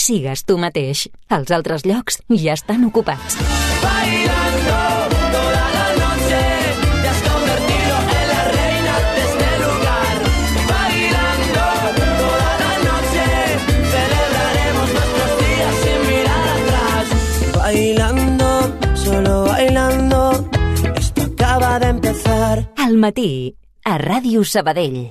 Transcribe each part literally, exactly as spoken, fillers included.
sigues tu mateix. Els altres llocs ja estan ocupats. Bailando toda la noche, te has convertido en la reina de este lugar. Bailando toda la noche, celebraremos nuestros días sin mirar atrás. Bailando, solo bailando, esto acaba de empezar. Al matí, a Ràdio Sabadell.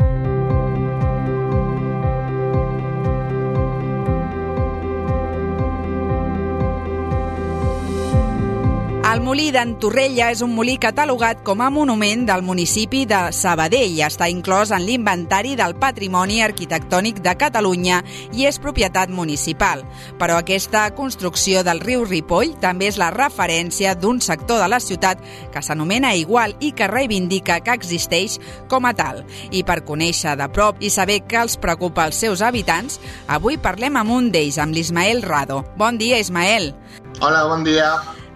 El molí d'en Torrella és un molí catalogat com a monument del municipi de Sabadell. Està inclòs en l'inventari del Patrimoni Arquitectònic de Catalunya i és propietat municipal. Però aquesta construcció del riu Ripoll també és la referència d'un sector de la ciutat que s'anomena igual i que reivindica que existeix com a tal. I per conèixer de prop i saber què els preocupa als seus habitants, avui parlem amb un d'ells, amb l'Ismael Rado. Bon dia, Ismael. Hola, bon dia.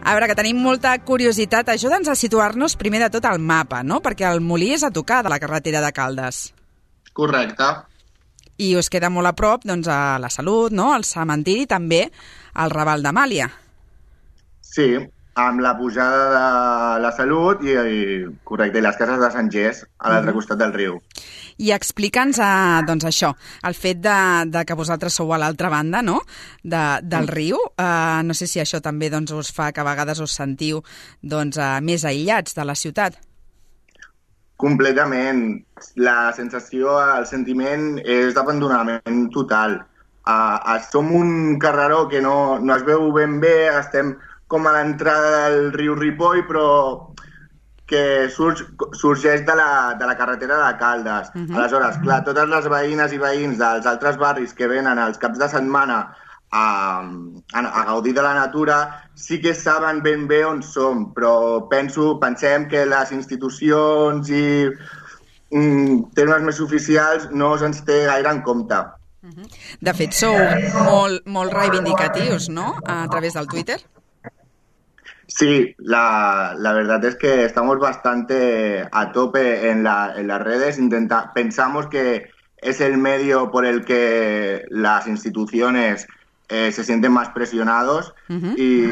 A veure, que tenim molta curiositat. Ajuda'ns a situar-nos primer de tot al mapa, no? Perquè el molí és a tocar de la carretera de Caldes. Correcte. I us queda molt a prop, doncs, a la Salut, no? Al cementiri, també al Raval d'Amàlia. Sí, amb la pujada de la Salut i, i correcte, i les cases de Sant Gés, a l'altre mm. costat del riu. I explica'ns, eh, doncs, això, el fet de, de que vosaltres sou a l'altra banda, no?, de, del mm. riu. Eh, no sé si això també doncs, us fa que a vegades us sentiu doncs, eh, més aïllats de la ciutat. Completament. La sensació, el sentiment és d'abandonament total. Uh, som un carreró que no, no es veu ben bé, estem com a l'entrada del riu Ripoll, però que surg, sorgeix de la, de la carretera de Caldes. Uh-huh. Aleshores, clar, totes les veïnes i veïns dels altres barris que venen als caps de setmana a, a, a gaudir de la natura sí que saben ben bé on som, però penso, pensem que les institucions i mm, termes més oficials no se'ns té gaire en compte. Uh-huh. De fet, sou molt, molt reivindicatius, no?, a través del Twitter. Sí, la, la verdad es que estamos bastante a tope en, la, en las redes. Intenta, pensamos que es el medio por el que las instituciones eh, se sienten más presionados uh-huh. y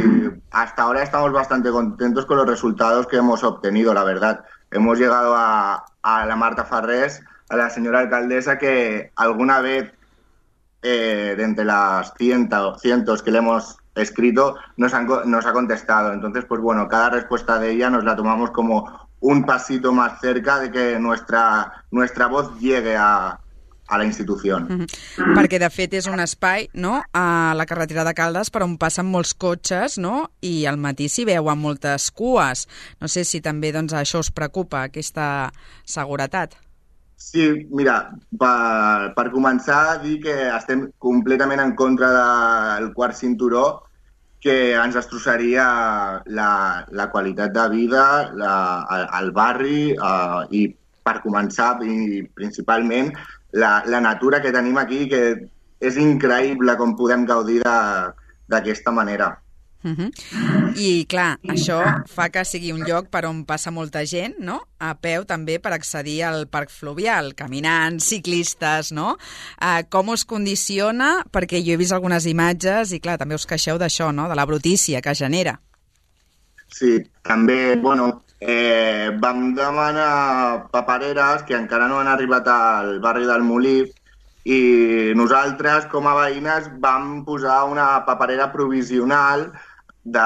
hasta ahora estamos bastante contentos con los resultados que hemos obtenido, la verdad. Hemos llegado a, a la Marta Farrés, a la señora alcaldesa, que alguna vez eh, de entre las cientos, cientos que le hemos escrito, nos, han, nos ha contestado. Entonces, pues bueno, cada respuesta de ella nos la tomamos como un pasito más cerca de que nuestra, nuestra voz llegue a, a la institució. Mm-hmm. Perquè, de fet, és un espai, no?, a la carretera de Caldes per on passen molts cotxes, no?, i al matí s'hi veuen moltes cues. No sé si també doncs, això us preocupa, aquesta seguretat. Sí, mira, per, per començar, dir que estem completament en contra del quart cinturó, que ens destrossaria la, la qualitat de vida la, al barri eh, i, per començar, i principalment, la, la natura que tenim aquí, que és increïble com podem gaudir d'aquesta manera. Uh-huh. I, clar, això fa que sigui un lloc per on passa molta gent, no?, a peu també per accedir al parc fluvial, caminants, ciclistes, no? Uh, com us condiciona? Perquè jo he vist algunes imatges i, clar, també us queixeu d'això, no?, de la brutícia que genera. Sí, també, bueno, eh, vam demanar papereres que encara no han arribat al barri del Molí i nosaltres, com a veïnes, vam posar una paperera provisional de,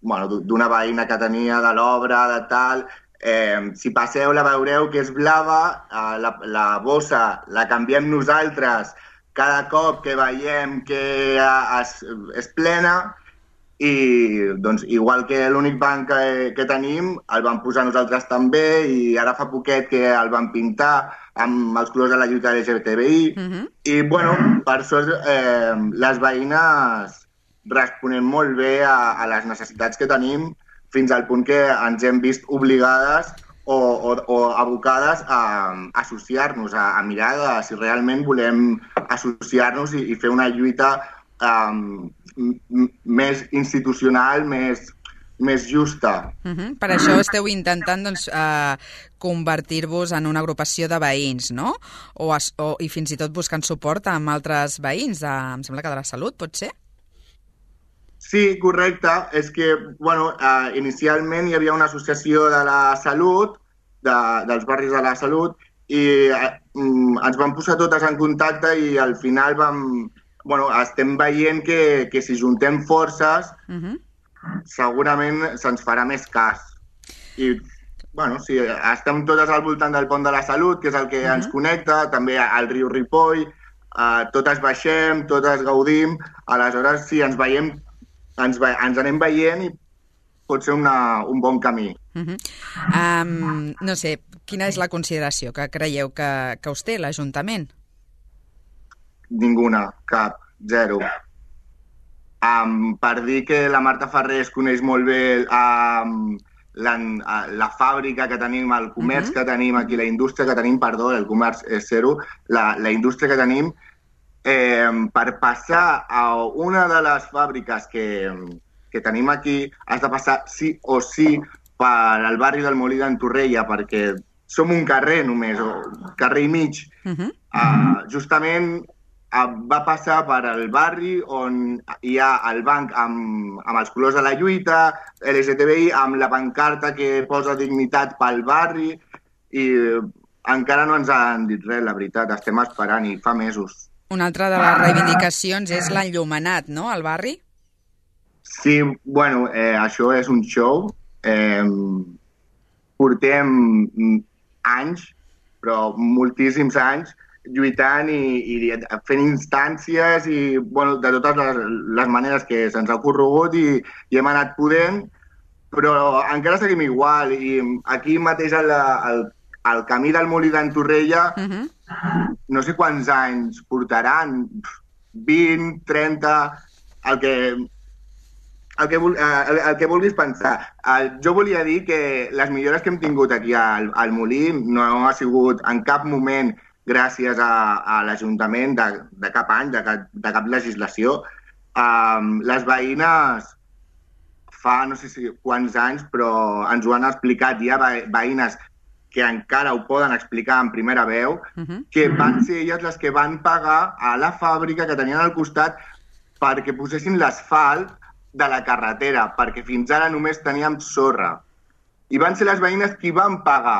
bueno, d'una veïna que tenia de l'obra, de tal. Eh, si passeu la veureu que és blava, eh, la, la bossa la canviem nosaltres cada cop que veiem que es, és plena i doncs, igual que l'únic banc que, que tenim el vam posar nosaltres també i ara fa poquet que el vam pintar amb els colors de la lluita L G B T I uh-huh. i bueno, per sort eh, les veïnes responem molt bé a, a les necessitats que tenim fins al punt que ens hem vist obligades o, o, o abocades a, a associar-nos, a, a mirar de si realment volem associar-nos i, i fer una lluita um, m- més institucional, més, més justa. Uh-huh. Per això esteu intentant doncs, eh, convertir-vos en una agrupació de veïns, no? O, es, o, I fins i tot buscant suport amb altres veïns, de, em sembla que de la Salut, pot ser? Sí, correcte. És que, bueno, eh, inicialment hi havia una associació de la Salut, de, dels barris de la Salut, i eh, ens vam posar totes en contacte i al final vam... Bueno, estem veient que, que si juntem forces, uh-huh. segurament se'ns farà més cas. I, bueno, sí, estem totes al voltant del Pont de la Salut, que és el que uh-huh. ens connecta, també al riu Ripoll, eh, totes baixem, totes gaudim, aleshores, sí, ens veiem, ens, ve, ens anem veient i pot ser una, un bon camí. Uh-huh. um, no sé, quina és la consideració que creieu que, que us té l'Ajuntament? Ninguna, cap, zero. Um, per dir que la Marta Ferrer es coneix molt bé um, la, la fàbrica que tenim, el comerç uh-huh. que tenim aquí, la indústria que tenim, perdó, el comerç és zero, la, la indústria que tenim, eh, per passar a una de les fàbriques que, que tenim aquí, has de passar sí o sí per al barri del Molí d'en Torrella, perquè som un carrer només, o carrer i mig. Uh-huh. Uh, justament va passar per al barri on hi ha el banc amb, amb els colors de la lluita, L G T B I, amb la pancarta que posa dignitat pel barri, i encara no ens han dit res, la veritat, estem esperant i fa mesos. Una altra de les reivindicacions és l'enllumenat, no?, al barri? Sí, bueno, eh, això és un show. Eh, portem anys, però moltíssims anys, lluitant i, i fent instàncies i bueno, de totes les, les maneres que se'ns ha corregut i, i hem anat podent, però encara seguim igual. I aquí mateix al, al, al camí del Molí d'en Torrella, uh-huh. no sé quants anys portaran, vint, trenta, el que, el que, el, el que vulguis pensar. Jo volia dir que les millores que hem tingut aquí al, al Molí no ha sigut en cap moment gràcies a, a l'Ajuntament de, de cap any, de cap, de cap legislació. Um, les veïnes fa no sé si quants anys, però ens ho han explicat, hi ha veïnes que encara ho poden explicar en primera veu, uh-huh. que van ser elles les que van pagar a la fàbrica que tenien al costat perquè posessin l'asfalt de la carretera, perquè fins ara només teníem sorra. I van ser les veïnes qui van pagar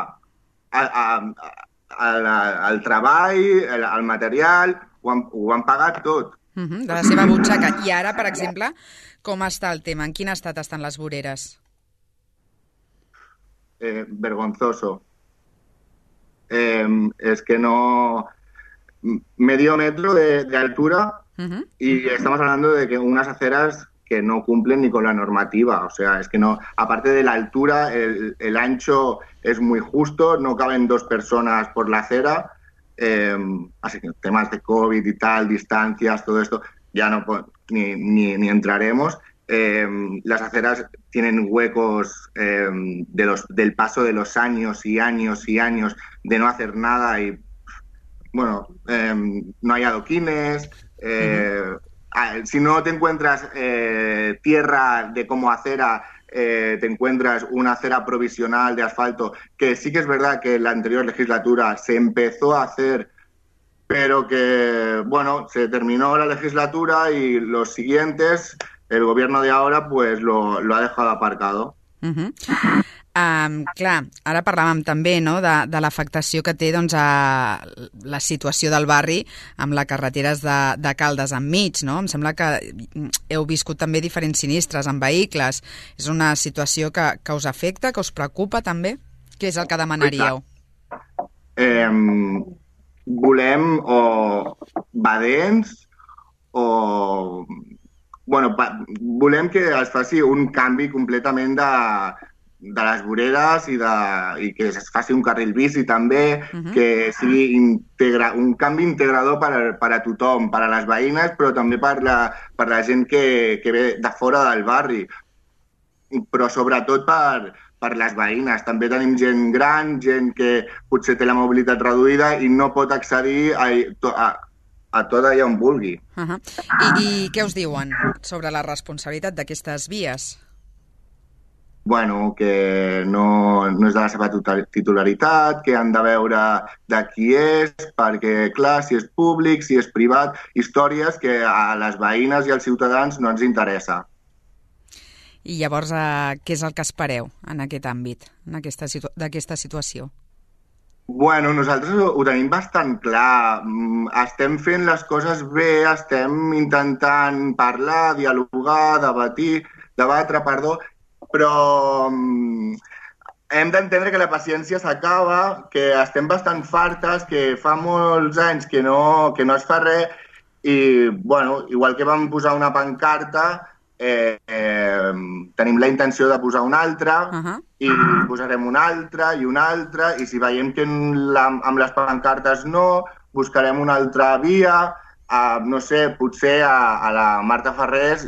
a, a, a El, el treball, el, el material, ho han, ho han pagat tot. Uh-huh, de la seva butxaca. I ara, per exemple, com està el tema? En quin estat estan les voreres? Eh, vergonzoso. Eh, es que no... Medio metro de, de altura uh-huh. y estamos hablando de que unas aceras que no cumplen ni con la normativa. O sea, es que no... Aparte de la altura, el, el ancho es muy justo, no caben dos personas por la acera. Eh, así que temas de COVID y tal, distancias, todo esto, ya no ni, ni, ni entraremos. Eh, las aceras tienen huecos eh, de los, del paso de los años y años y años de no hacer nada y, bueno, eh, no hay adoquines. Eh, uh-huh. Si no te encuentras eh, tierra de como acera, eh, te encuentras una acera provisional de asfalto, que sí que es verdad que en la anterior legislatura se empezó a hacer, pero que, bueno, se terminó la legislatura y los siguientes, el gobierno de ahora, pues lo, lo ha dejado aparcado. Uh-huh. Um, clar, ara parlàvem també no, de, de l'afectació que té doncs, a la situació del barri amb les carreteres de, de Caldes enmig, no? Em sembla que heu viscut també diferents sinistres amb vehicles. És una situació que, que us afecta, que us preocupa també? Què és el que demanaríeu? Eh, volem o badents o... Bueno, volem que es faci un canvi completament de... de les voreres i, de, i que es faci un carril bici també, uh-huh. que sigui integra, un canvi integrador per a, per a tothom, per a les veïnes, però també per la, per la gent que, que ve de fora del barri, però sobretot per, per les veïnes. També tenim gent gran, gent que potser té la mobilitat reduïda i no pot accedir a, a, a tot allà on vulgui. Uh-huh. I, I què us diuen sobre la responsabilitat d'aquestes vies? bueno, que no, no és de la seva titularitat, que han de veure de qui és, perquè, clar, si és públic, si és privat, històries que a les veïnes i als ciutadans no ens interessa. I llavors, eh, què és el que espereu en aquest àmbit, en aquesta situ- d'aquesta situació? Bueno, nosaltres ho, ho tenim bastant clar. Mm, Estem fent les coses bé, estem intentant parlar, dialogar, debatir, debatre, perdó, però mm, hem d'entendre que la paciència s'acaba, que estem bastant fartes, que fa molts anys que no, que no es fa res i, bueno, igual que vam posar una pancarta, eh, eh, tenim la intenció de posar una altra Uh-huh. i posarem una altra i una altra i si veiem que en la, amb les pancartes no, buscarem una altra via. Uh, no sé, potser a, a la Marta Ferrés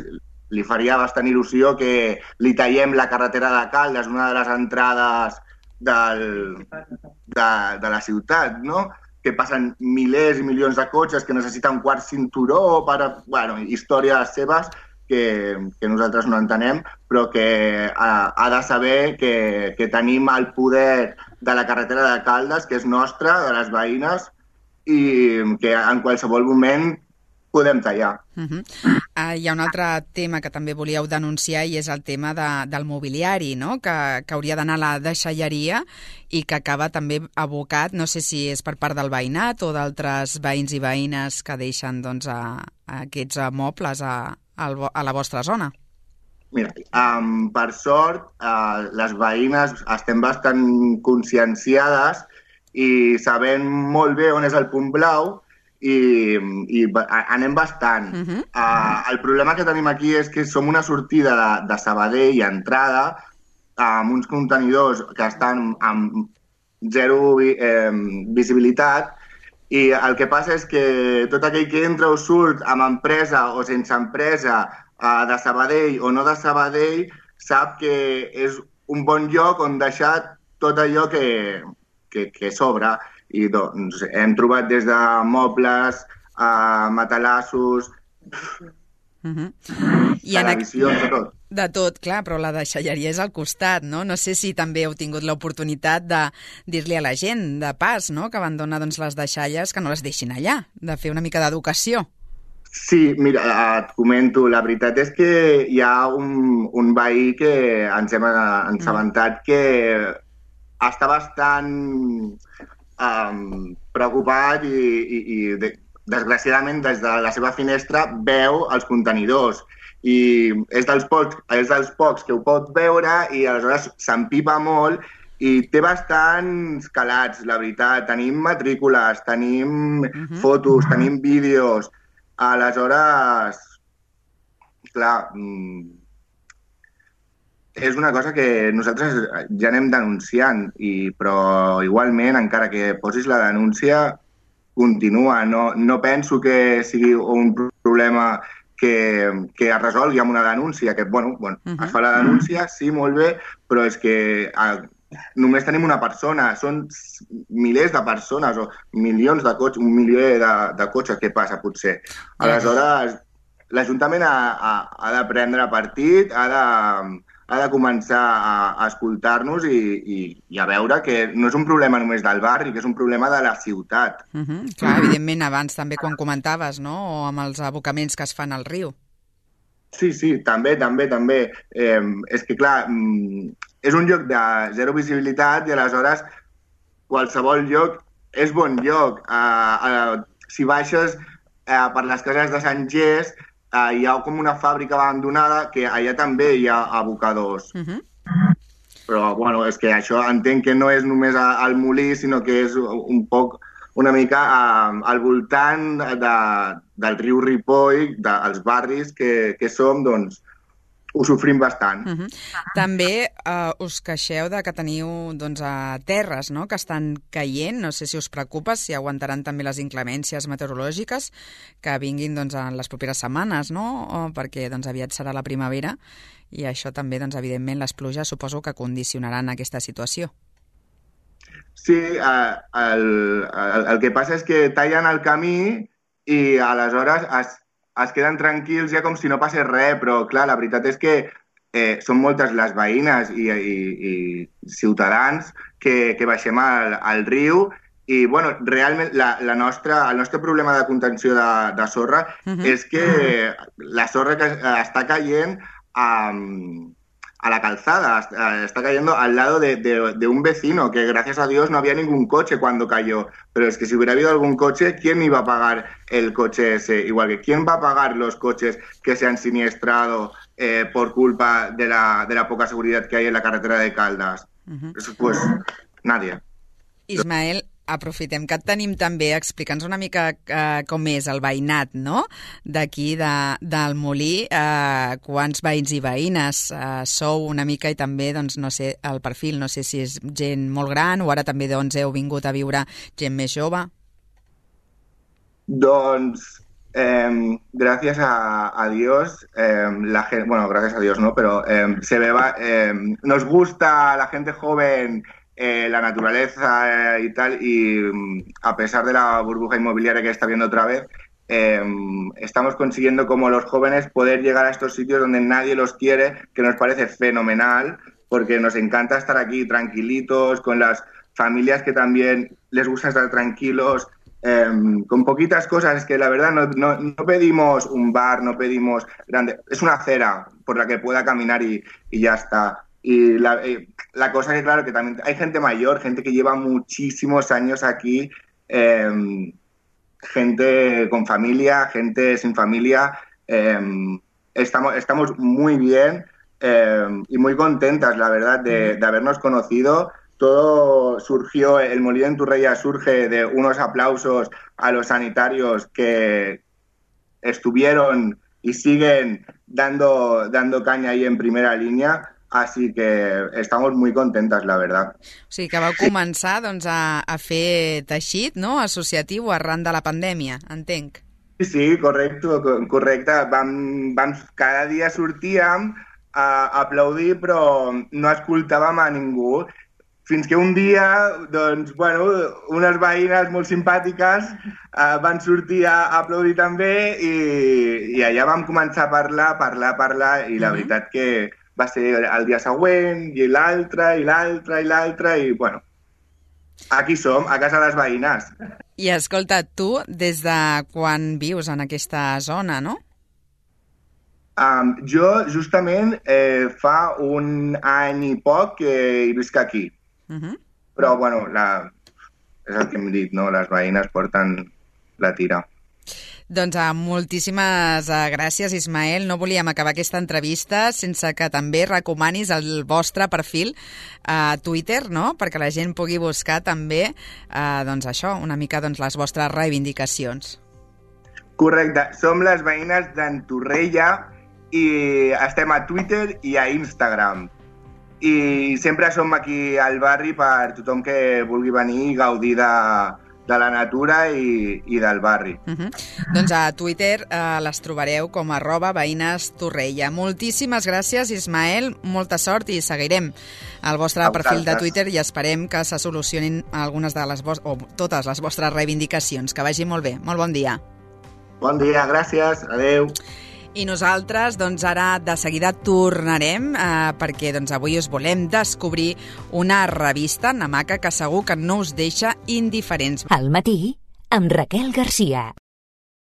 li faria bastant il·lusió que li tallem la carretera de Caldes, una de les entrades del, de, de la ciutat, no? Que passen milers i milions de cotxes, que necessiten un quart cinturó, per, bueno, històries seves que, que nosaltres no entenem, però que ha, ha de saber que, que tenim el poder de la carretera de Caldes, que és nostra, de les veïnes, i que en qualsevol moment podem tallar. Uh-huh. Uh, hi ha un altre tema que també volíeu denunciar i és el tema de, del mobiliari, no? que, que hauria d'anar a la deixalleria i que acaba també abocat, no sé si és per part del veïnat o d'altres veïns i veïnes que deixen doncs, a, a aquests mobles a, a la vostra zona. Mira, um, per sort, uh, les veïnes estem bastant conscienciades i sabem molt bé on és el punt blau i, i anem bastant. Uh-huh. Uh, el problema que tenim aquí és que som una sortida de, de Sabadell i entrada amb uns contenidors que estan amb zero eh, visibilitat i el que passa és que tot aquell que entra o surt amb empresa o sense empresa uh, de Sabadell o no de Sabadell sap que és un bon lloc on deixar tot allò que, que, que sobra. I doncs hem trobat des de mobles, uh, matalassos, Uh-huh. I en televisions, de tot. De tot, clar, però la deixalleria és al costat, no? No sé si també heu tingut l'oportunitat de dir-li a la gent de pas, no?, que abandona doncs, les deixalles, que no les deixin allà, de fer una mica d'educació. Sí, mira, et comento, la veritat és que hi ha un, un veí que ens hem assabentat que està bastant um, preocupat i, i, i de, desgraciadament des de la seva finestra veu els contenidors i és dels pocs, és dels pocs que ho pot veure i aleshores s'empipa molt i té bastants calats, la veritat. Tenim matrícules, tenim uh-huh. fotos, tenim vídeos. Aleshores, clar, és una cosa que nosaltres ja anem denunciant, i, però igualment, encara que posis la denúncia, continua. No, no penso que sigui un problema que, que es resolgui amb una denúncia, que, bueno, bueno uh-huh. es fa la denúncia, sí, molt bé, però és que a, només tenim una persona, són milers de persones o milions de cotxes, un milió de, de cotxes, què passa, potser? Aleshores, l'Ajuntament ha, ha, ha de prendre partit, ha de, ha de començar a, a escoltar-nos i, i, i a veure que no és un problema només del barri, que és un problema de la ciutat. Uh-huh. Clar, evidentment, abans també quan comentaves, no?, o amb els abocaments que es fan al riu. Sí, sí, també, també, també. Eh, és que, clar, és un lloc de zero visibilitat i aleshores qualsevol lloc és bon lloc. Eh, eh, si baixes eh, per les cases de Sant Gés, Uh, hi ha com una fàbrica abandonada que allà també hi ha abocadors. Uh-huh. Però, bueno, és que això entenc que no és només al molí, sinó que és un poc, una mica uh, al voltant de, del riu Ripoll, dels barris que, que som, doncs, ho sofrim bastant. Uh-huh. També uh, us queixeu de que teniu doncs, a terres, no?, que estan caient. No sé si us preocupa, si aguantaran també les inclemències meteorològiques que vinguin doncs, en les properes setmanes, no?, o perquè doncs, aviat serà la primavera i això també, doncs, evidentment, les pluges suposo que condicionaran aquesta situació. Sí, uh, el, el, el que passa és que tallen el camí i aleshores es es queden tranquils ja com si no passés res, però clar, la veritat és que eh, són moltes les veïnes i, i, i ciutadans que, que baixem al, al riu i, bueno, realment la, la nostra, el nostre problema de contenció de, de sorra uh-huh. és que la sorra que està caient a, a la calzada, está cayendo al lado de, de, de un vecino, que gracias a Dios no había ningún coche cuando cayó, pero es que si hubiera habido algún coche, ¿quién iba a pagar el coche ese? Igual que ¿quién va a pagar los coches que se han siniestrado eh, por culpa de la, de la poca seguridad que hay en la carretera de Caldas? Uh-huh. Pues nadie. Ismael, aprofitem que et tenim també, explica'ns una mica eh, com és el veïnat, no?, d'aquí, de, del Molí, eh, quants veïns i veïnes eh, sou una mica i també, doncs, no sé, el perfil, no sé si és gent molt gran o ara també, doncs, heu vingut a viure gent més jove. Doncs, eh, gracias a, a Dios, eh, la gente, bueno, gracias a Dios, ¿no?, pero eh, se ve, eh, nos gusta la gente joven, Eh, la naturaleza eh, y tal, y a pesar de la burbuja inmobiliaria que está viendo otra vez, eh, estamos consiguiendo como los jóvenes poder llegar a estos sitios donde nadie los quiere, que nos parece fenomenal, porque nos encanta estar aquí tranquilitos, con las familias que también les gusta estar tranquilos, eh, con poquitas cosas, que la verdad no, no, no pedimos un bar, no pedimos grande, es una acera por la que pueda caminar y, y ya está. Y la, eh, la cosa que, claro, que también hay gente mayor, gente que lleva muchísimos años aquí, eh, gente con familia, gente sin familia. Eh, estamos, estamos muy bien eh, y muy contentas, la verdad, de, de habernos conocido. Todo surgió, el Molí en Torrella surge de unos aplausos a los sanitarios que estuvieron y siguen dando, dando caña ahí en primera línea. Así que estamos muy contentas, la verdad. O sigui que vau començar, doncs, a, a fer teixit, no?, associatiu arran de la pandèmia, entenc. Sí, sí, correcte, correcte. Vam, vam, cada dia sortíem a aplaudir, però no escoltàvem a ningú. Fins que un dia, doncs, bueno, unes veïnes molt simpàtiques eh, van sortir a aplaudir també i, i allà vam començar a parlar, parlar, parlar, i la uh-huh. veritat que va ser el dia següent, i l'altre, i l'altre, i l'altre, i, bueno, aquí som, a casa de les veïnes. I, escolta, tu, des de quan vius en aquesta zona, no? Um, jo, justament, eh, fa un any i poc que hi visc aquí. Uh-huh. Però, bueno, la, és el que hem dit, no? Les veïnes porten la tira. Doncs uh, moltíssimes uh, gràcies, Ismael. No volíem acabar aquesta entrevista sense que també recomanis el vostre perfil a uh, Twitter, no?, perquè la gent pugui buscar també, uh, doncs això, una mica, doncs, les vostres reivindicacions. Correcte. Som les veïnes d'en Torrella i estem a Twitter i a Instagram. I sempre som aquí al barri per tothom que vulgui venir i gaudir de... de la natura i, i del barri. Uh-huh. Doncs a Twitter eh, les trobareu com arroba veïnes Torrella. Moltíssimes gràcies, Ismael, molta sort i seguirem el vostre perfil de Twitter i esperem que se solucionin algunes de les vos- o totes les vostres reivindicacions. Que vagi molt bé. Molt bon dia. Bon dia, gràcies. Adeu. I nosaltres, doncs, ara de seguida tornarem eh, perquè doncs, avui us volem descobrir una revista, Namaca, que segur que no us deixa indiferents. Al matí, amb Raquel Garcia.